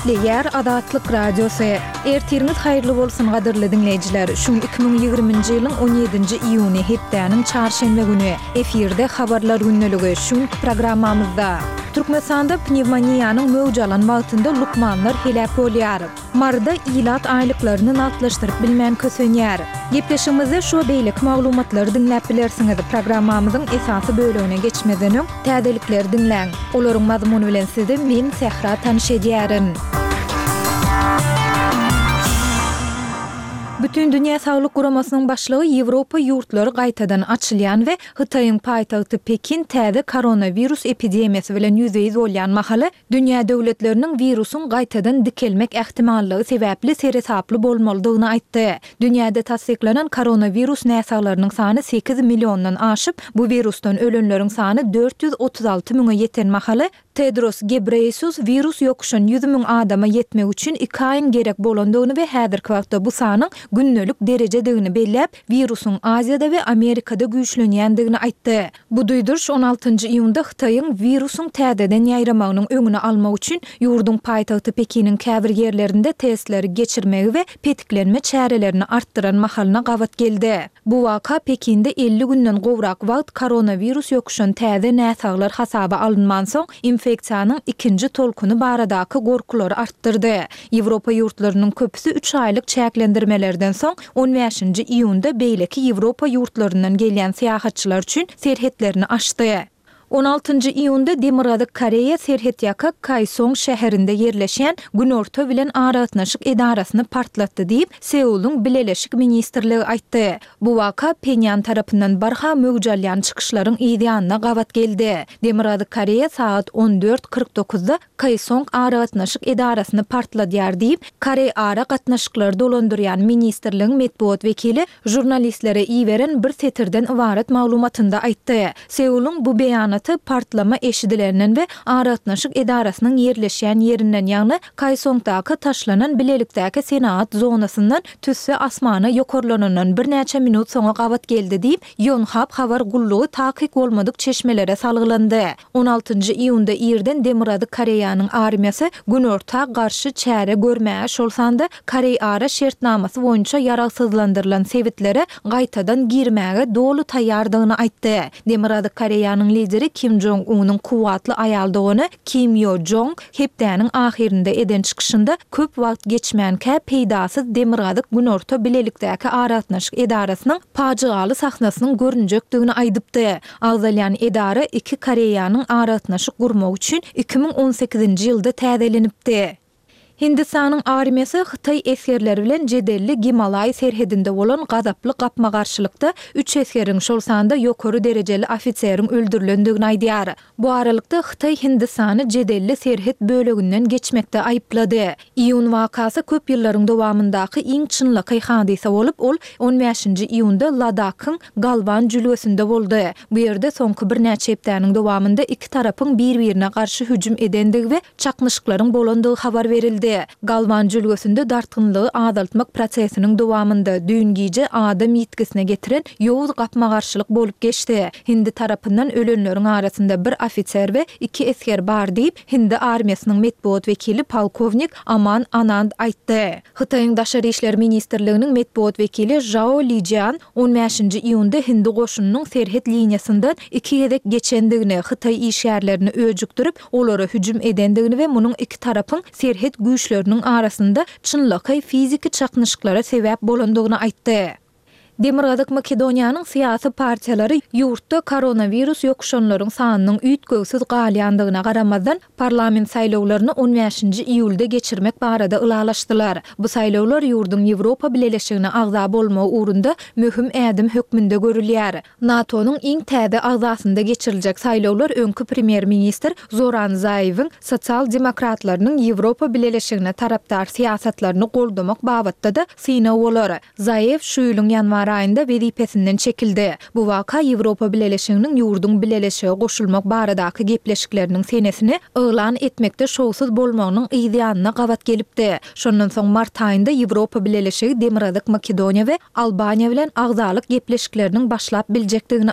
Gepleýär Azatlyk Radiosy. Ertiriňiz haýyrly bolsun gadyrly diňleýjiler. Şu gün 2020-nji ýylyň 17-nji iýuny, hepdäniň çarşenbe güni. Efirde Habarlar gündeligi. Şu günki programmamyzda. Türkmenistanda pnewmoniýanyň möwç alan wagtynda lukmanlar heläk bolýar. Maryda ilat aýlyklaryny nagtlaşdyryp bilmän kösenýär. Gepleşigimizde şu we beýleki maglumatlary diňläp bilersiňiz. Programmamyzyň esasy bölegine geçmezden öň, täzelikleri diňläň. Olaryň mazmuny bilen sizi men, Sähra tanyş edýärin. Bütindünýä Saglyk Guramasynyň başlygy Ýewropa ýurtlary gaýtadan açylýan we Hytaýyň paýtagty Pekin täze koronawirus epidemiýasy bilen ýüzbe-ýüz bolýan mahaly, Dünýä döwletleriniň wirusyň gaýtadan dikelmek ähtimallygy sebäpli seresaply bolmalydygyny aýtdy. Dünýäde tassyklanan koronawirus näsaglarynyň sany sekiz milliondan aşyp, bu wirusdan ölenleriň sany 436 müňe ýeten mahaly, Tedros Gebreýesus wirus ýokuşan 100 müň adama ýetmek üçin iki aýyň gerek bolandygyny we häzirki wagtda bu sanyň gündelik derejedigini belläp, wirusyň Aziýada we Amerikada güýçlenýändigini aýtdy. Bu duýduryş on altynjy iýunda Hytaýyň wirusyň täzeden ýaýramagynyň öňüni almak üçin ýurduň paýtagty Pekiniň käbir ýerlerinde testleri geçirmegi we petiklenme çärelerini artdyran mahalyna gabat geldi. Bu waka Pekinde 50 günden gowrak wagt koronawirus ýokuşan täze näsaglar hasaba alynmansoň, infeksiýanyň ikinji tolkuny baradaky gorkulary artdyrdy. Ýewropa ýurtlarynyň köpüsi üç aýlyk çäklendirmelerden soň, on bäşinji iýunda beýleki Ýewropa ýurtlaryndan gelýän syýahatçylar üçin serhetlerini açdy. On altynjy iýunda Demirgazyk Koreýa serhetýaka Kaýsong şäherinde ýerleşýän Günorta bilen aragatnaşyk edarasyny partlatdy diýip, Seulyň Bileleşik ministrligi aýtdy. Bu waka Phenýan tarapyndan barha möwç alýan çykyşlaryň yzýanyna gabat geldi. Demirgazyk Koreýa sagat on dört 49 dokuzda Kaesong aragatnaşyk edarasyny partladýar diýip, Koreýara gatnaşyklary dolandyrýan ministrligiň metbugat wekili žurnalistlere iberen bir setirden ybarat maglumatynda aýtdy. Seulyň bu beýanaty partlama eşidilenden we aragatnaşyk edarasynyň ýerleşýän ýerinden, ýagny Kaesongdaky taşlanan bilelikdäki senagat zonasyndan tüsse asmana ýokarlanandan birnäçe minut soňa gabat geldi diýip, Ýonhap habar gullugy takyk bolmadyk çeşmelere salgylandy. On altynjy iýunda irden Demirgazyk Koreýanyň armiýasy Günorta garşy çäre görmäge, şol sanda Koreýara şertnamasy boýunça ýaragsyzlandyrylan sebitlere gaýtadan girmäge doly taýýardygyny aýtdy. Demirgazyk Koreýanyň lideri Kim Jong Unyň kuwwatly aýal dogany Kim Ýo Jong hepdäniň ahyrynda eden çykyşynda köp wagt geçmänkä peýdasyz Demirgazyk-Günorta bilelikdäki aragatnaşyk edarasynyň pajygaly sahnasynyň görünjekdigini aýdypdy. Agzalýan edara iki Koreýanyň aragatnaşyk gurmagy üçin 2018-nji ýylda täzelenipdi. Hindistanyň armiýasy hytaý esgerleri bilen jedelli Gimalaý serhedinde bolan gazaply gapma-garşylykda üç esgeriň, şol sanda ýokary derejeli ofiseriň öldürilendigini aýdýar. Bu aralykda, Hytaý Hindistany jedelli serhet böleginden geçmekde aýyplady. Iýun wakasy köp ýyllaryň dowamyndaky iň çynlakaý hadysa bolup, ol on bäşinji iýunda Ladakhyň Galwan jülgesinde boldy. Bu ýerde soňky birnäçe hepdäniň dowamynda iki tarapyň bir-birine garşy hüjüm edendigi we çaknyşyklaryň bolandygy habar berildi. Galwan jülgesinde dartgynlygy azaltmak prosesiniň dowamynda, düýn gije adam ýitgisine getiren ýowuz gapma-garşylyk bolup geçdi. Hindi tarapyndan ölenleriň arasynda bir ofiser we iki esger bar diýip, hindi armiýasynyň metbugat wekili polkownik Aman Anand aýtdy. Hytaýyň Daşary işler ministrliginiň metbugat wekili Žao Lijian on bäşinji iýunda hindi goşunynyň serhet liniýasyndan iki gezek geçendigini, hytaý işgärlerini öjükdirip, olara hüjüm edendigini we munuň iki tarapyň serhet güýçleriniň arasynda çynlakaý fiziki çaknyşyklara sebäp bolandygyny aýtdy. Demirgazyk Makedoniýanyň syýasy partiýalary ýurtda koronawirus ýokuşanlaryň sanynyň üýtgewsiz galýandygyna garamazdan, parlament saýlawlaryny on bäşinji iýulda geçirmek barada ylalaşdylar. Bu saýlawlar ýurduň Ýewropa Bileleşigine agza bolmagy ugrunda möhüm ädim hökmünde görülýär. NATO-nyň iň täze agzasynda geçiriljek saýlawlar öňki premýer-ministr Zoran Zaewiň sosial-demokratlarynyň Ýewropa Bileleşigine tarapdar syýasatlaryny goldamak babatda-da synag bolar. Zaew şu ýylyň ýanwar aýynda wezipesinden çekildi. Bu waka Ýewropa Bileleşiginiň ýurduň bileleşige goşulmak baradaky gepleşikleriniň senesini yglan etmekde şowsuz bolmagynyň yz ýanyna gabat gelipdi. Şondan soň mart aýynda Ýewropa Bileleşigi Demirgazyk Makedoniýa we Albaniýa bilen agzalyk gepleşikleriniň başlap biljekdigini.